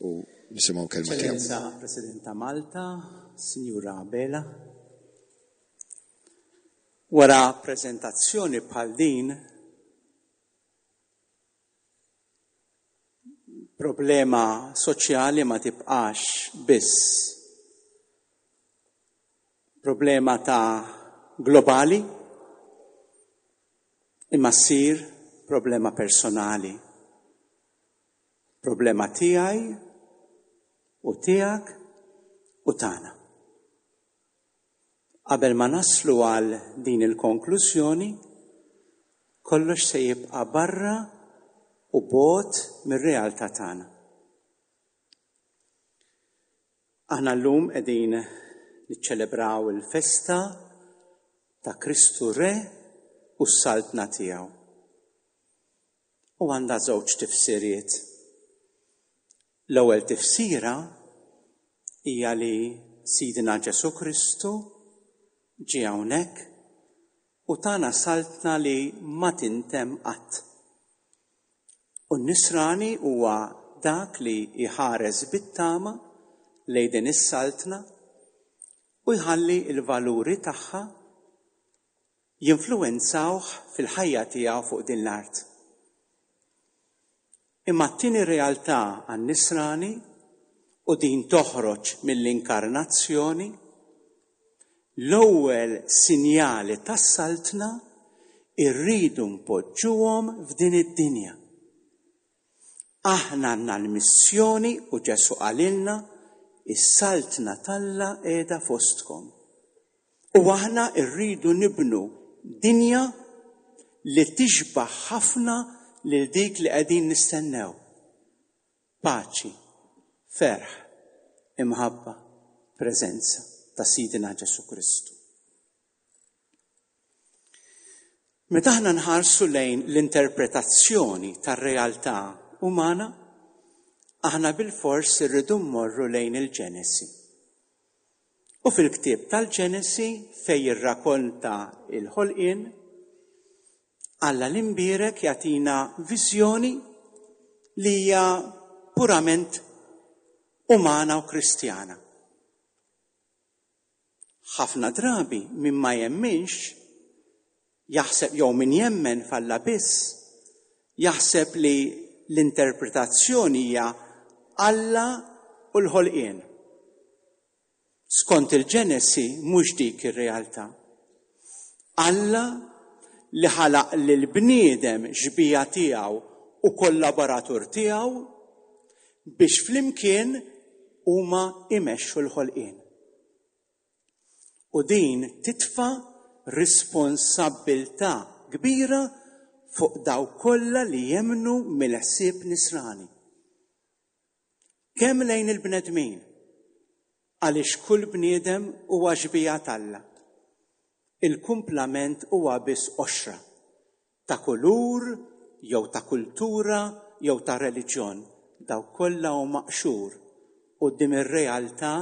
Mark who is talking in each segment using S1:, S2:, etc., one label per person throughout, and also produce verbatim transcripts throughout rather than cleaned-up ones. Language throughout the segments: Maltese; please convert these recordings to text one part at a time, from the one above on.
S1: U nisimgħu kelma tiegħu.
S2: Eċċellenza President ta' Malta, Sinjura Abela. Wara preżentazzjoni bħal din, problema soċjali ma tibqax biss problema ta' globali, imma ssir problema personali. Problema tiegħi u tiegħek u tagħna. Qabel ma naslu għal din il-konklużjoni, kollox se jibqa' barra u bogħod mir-realtà tagħna. Aħna llum qegħdin niċċelebraw il-festa ta' Kristu Re u s-Saltna tiegħu. U għandha żewġ tifsiriet. L-ewwel tifsira hija li Sidna Ġesù Kristu ġie hawnhekk u tana saltna li ma tintemm qatt. U n-nisrani huwa dak li jħares bit-tama lejn din is-saltna u jħalli l-valuri tagħha jinfluwenzawh fil-ħajja tiegħu fuq din l-art. Imma t-tieni realtà għan-nisrani, u din toħroġ mill-inkarnazzjoni, l-ewwel sinjali tas-saltna irridu npoġġuhom f'din id-dinja. Aħna għandna l-missjoni u Ġesù qalilna is-saltna t'Alla qiegħda fostkom. U aħna rridu nibnu dinja li tixbaħ ħafna lil dik li qegħdin nistennew. Paċi, ferħ, imħabba, preżenza ta' Sidina Ġesù Kristu. Meta aħna nħarsu lejn l-interpretazzjoni tar-realtà umana, aħna bilfors irridu mmorru lejn il-Ġenesi. U fil-ktieb tal-Ġenesi fejn jirrakonta il-ħolqien, Alla l-imbierek jagħtina viżjoni li hija purament umana u Kristjana. Ħafna drabi min ma jemminx jaħseb, jew min jemmen f'Alla biss, jaħseb li l-interpretazzjoni hija Alla u l-ħolqien. Skont il-Ġenesi mhux dik ir-realtà. Alla li ħalaq lill-bniedem xbija tiegħu u kollaboratur tiegħu biex flimkien huma imexxu l-ħolqien. U din titfa' responsabbiltà kbira fuq dawk kollha li jemmnu mill-ħsieb nisrani. Kemm lejn il-bnedmin, għaliex kull bniedem huwa xbija t'Alla. Il-kumplament huwa biss qoxra ta' kulur jew ta' kultura jew ta' reliġjon. Dawk kollha huma qxur quddiem ir-realtà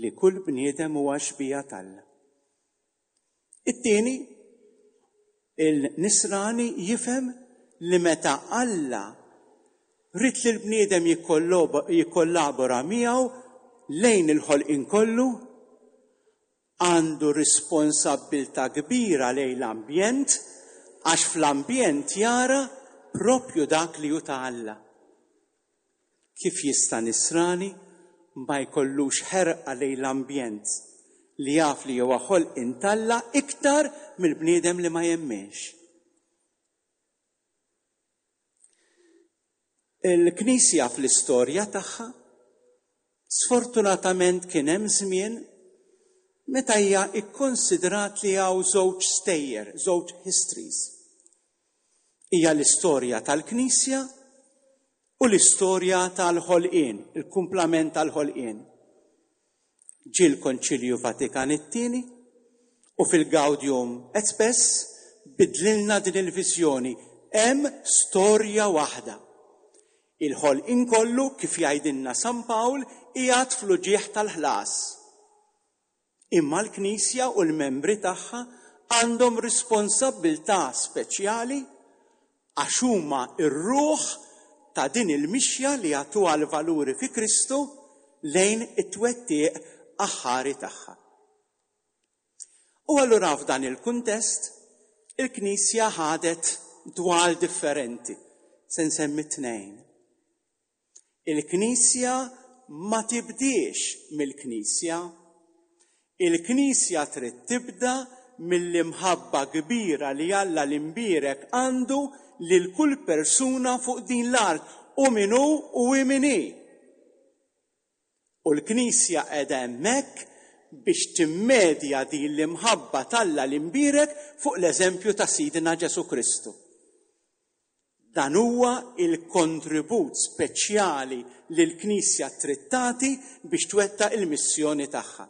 S2: li kull bniedem huwa xbija t'Alla. It-tieni, il-nisrani jifhem li meta Alla ried li l-bniedem jikkollabora miegħu lejn il-ħolqien kollu, għandu responsabbiltà kbira lejn l-ambjent, għax fl-ambjent jara propju dak li hu ta' Alla. Kif jista' nisrani ma jkollux ħerqa lejn l-ambjent li jaf li huwa ħolqien t'Alla iktar mill-bniedem li ma jemminx? Il-Knisja fl-istorja tagħha sfortunatament kien hemm żmien meta hija ikkonsidrat li hawn żewġ stejjer, żewġ histories. Hija l-istorja tal-Knisja u l-istorja tal-ħolqien, il-kumplament tal-ħolqien. Ġie l-Konċilju Vatikan it-tieni u fil-Gaudium et Spes bidlilna din il-viżjoni. Hemm storja waħda. Il-ħolqien kollu, kif jgħidilna San Pawl, qiegħed fl-uġigħ tal-ħlas. Imma l-Knisja u l-membri tagħha għandhom responsabbiltà speċjali għax huma r-ruħ ta' din il-mixja li jagħtuha l-valuri fi Kristu lejn it-twettiq aħħari tagħha. U allura f'dan il-kuntest, il-Knisja ħadet dwal differenti, se nsemmi tnejn. Il-Knisja ma tibdiex mill-Knisja. Il-Knisja trid tibda mill-imħabba kbira li Alla l-imbierek għandu lil kull persuna fuq din l-art, u min hu u min hi. U l-Knisja qiegħda hemmhekk biex timmedja din l-imħabba t'Alla l-imbierek fuq l-eżempju ta' Sidna Ġesù Kristu. Dan huwa il-kontribut speċjali li l-Knisja trid tagħti biex twettaq il-missjoni tagħha.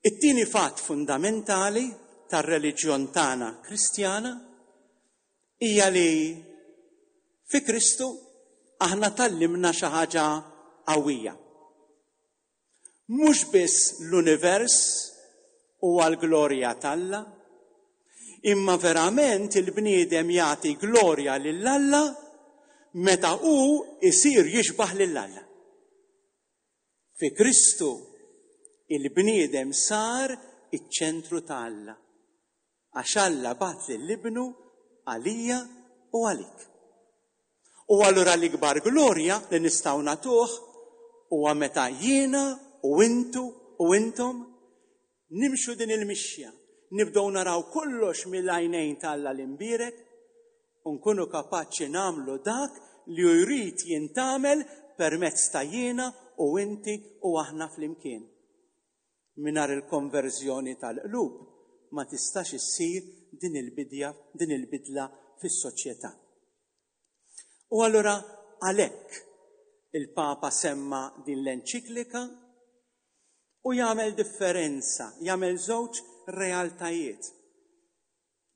S2: It-tieni fatt fundamentali tar-reliġjon tagħna Kristjana hija li fi Kristu aħna tgħallimna xi ħaġa qawwija. Mhux biss l-univers huwa l-glorja t'Alla, imma verament il-bniedem jagħti glorja lil Alla meta hu isir jixbah lil Alla. Fi Kristu il-bniedem sar iċ-ċentru ta' Alla, għax Alla bagħat lil Ibnu għalija u għalik. U allura l-ikbar glorja li nistgħu nagħtuh huwa meta jiena u intu u intom nimxu din il-mixja, nibdew naraw kollox mill-għajnejn ta' Alla l-imbierek u nkunu kapaċi nagħmlu dak li hu jrid jintgħamel permezz ta' jiena u inti u aħna flimkien. Mingħajr il-konverżjoni tal-qlub ma tistax issir din il-bidja, din il-bidla fis-soċjetà. U allura għalhekk il-Papa semma din l-enċiklika u jagħmel differenza, jagħmel żewġ realtajiet.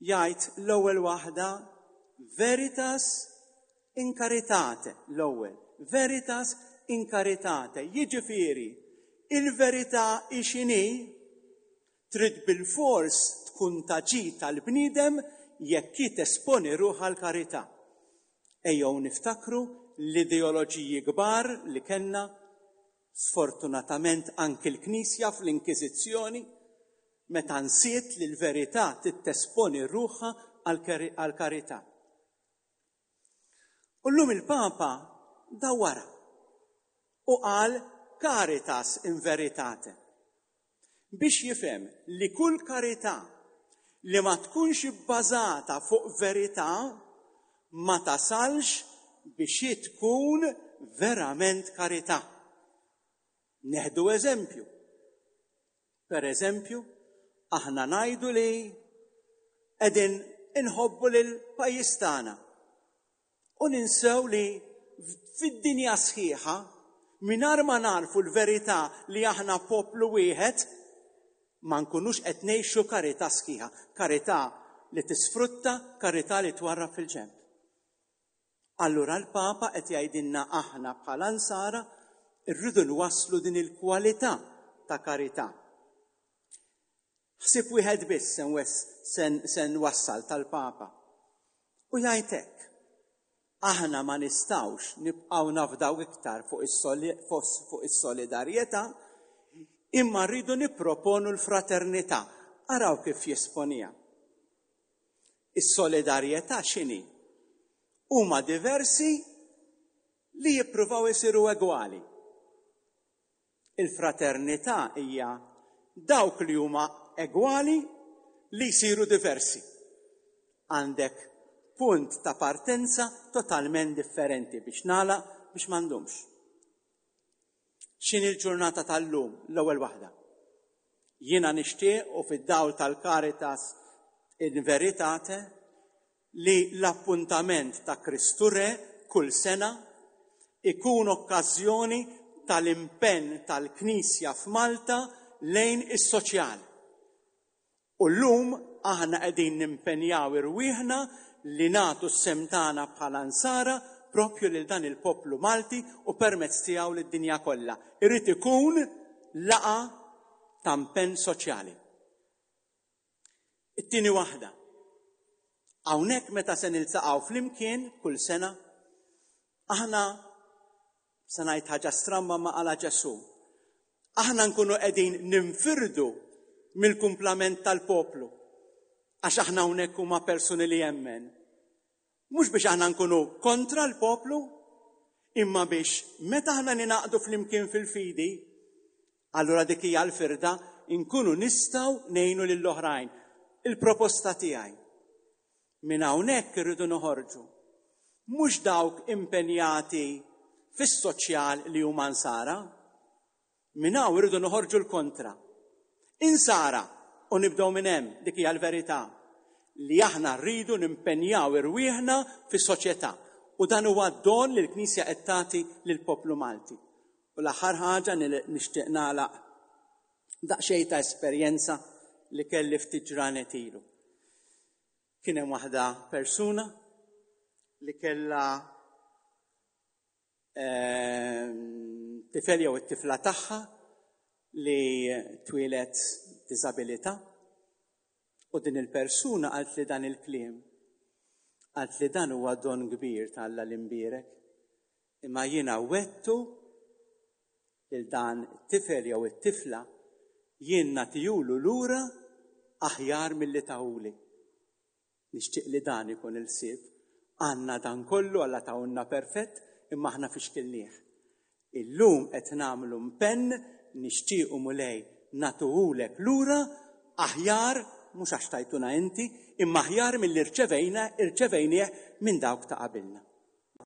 S2: Jgħid l-ewwel waħda veritas in caritate, l-ewwel, veritas in caritate, jiġifieri il-verità hi x'inhi trid bilfors tkun ta' ġid tal-bniedem jekk hi tesponi ruħha l-karità. Ejjew niftakru l-ideoloġiji kbar li kellna, sfortunatament anki l-Knisja fl-Inkwiżizzjoni, meta nsiet li l-verità tittesponi ruħha għall-karità. U llum il-Papa dawwara u qal caritas in veritate, biex jifhem li kull karità li ma tkunx ibbażata fuq verità ma tasalx biex tkun verament karità. Neħdu eżempju. Per eżempju, aħna ngħidu li qegħdin inħobbu lil pajjiż tagħna u ninsew li fid-dinja sħiħa mingħajr ma narfu l-verità li aħna poplu wieħed ma nkunux qed ngħixu karità sħiħa, karità li tisfrutta, karità li twarrab fil-ġenb. Allura l-Papa qed jgħidilna aħna bħala nsara rridu nwasslu din il-kwalità ta' karità. Ħsieb wieħed biss se nwassal tal-Papa. U jgħid hekk, aħna ma nistgħux nibqgħu nafdaw iktar fuq is-solidarjetà, imma rridu nipproponu l-fraternità. Araw kif jesponija. Is-solidarjetà x'inhi? Huma diversi li jippruvaw isiru egwali. Il-fraternità hija dawk li huma egwali li jsiru diversi. Għandek punt ta' partenza totalment differenti biex nagħlaq biex m'għandhomx. X'inhi l-ġurnata tal-lum, l-ewwel waħda? Jiena nixtieq u fid-dawl tal-Caritas in Veritate li l-appuntament ta' Kristu Re kull sena ikun okkażjoni tal-impenn tal-Knisja f'Malta lejn is-soċjal. U llum aħna qegħdin nimpenjaw irwieħna li nagħtu s-sehem tagħna bħala nsara propju lil dan il-poplu Malti u permezz tiegħu lid-dinja kollha. Irid ikun laqa ta' impenn soċjali. It-tieni waħda. Hawnhekk meta se niltaqgħu flimkien kull sena, aħna se ngħid ħaġa stramba ma qala Ġesù. Aħna nkunu qegħdin ninfirdu mill-kumplament tal-poplu. Għax aħna hawnhekk huma persuni li jemmen. Mhux biex aħna nkunu kontra l-poplu, imma biex meta aħna ninaqdu flimkien fil-fidi, allura dik hija l-firda, inkunu nistgħu ngħinu lill-oħrajn. Il-proposta tiegħi. Minn hawnhekk irridu noħorġu. Mhux dawk impenjati fis-soċjal li huma nsara, minn hawn irridu noħorġu l-kontra. Insara u nibdew minn hemm, dik hija l-verità, li aħna rridu nimpenjaw irwieħna fis-soċjetà. U dan huwa don li l-Knisja qed tagħti lill-poplu Malti. U l-aħħar ħaġa nixtieq nagħlaq daqsxejn ta' esperjenza li kelli ftit ġranet ilu. Kien hemm waħda persuna li kellha ehm, tifel jew it-tifla tagħha li twieldet b'diżabilità u din il-persuna qalt li dan il-kliem. Qalt li dan huwa don kbir ta' Alla l-imbierek. Imma jiena wegħedtu lil dan it-tifel jew it-tifla jien nagħtihulu lura aħjar milli tahuli. Nixtieq li dan ikun il-ħsieb. Għandna dan kollu Alla tahulna perfett imma aħna fixkilnieh. Illum qed nagħmlu impenn nixtiequ Mulej nagħtuhulek lura aħjar mhux għax tajtuna inti, imma aħjar milli rċevejna irċevejnieh minn dawk ta' qabilna.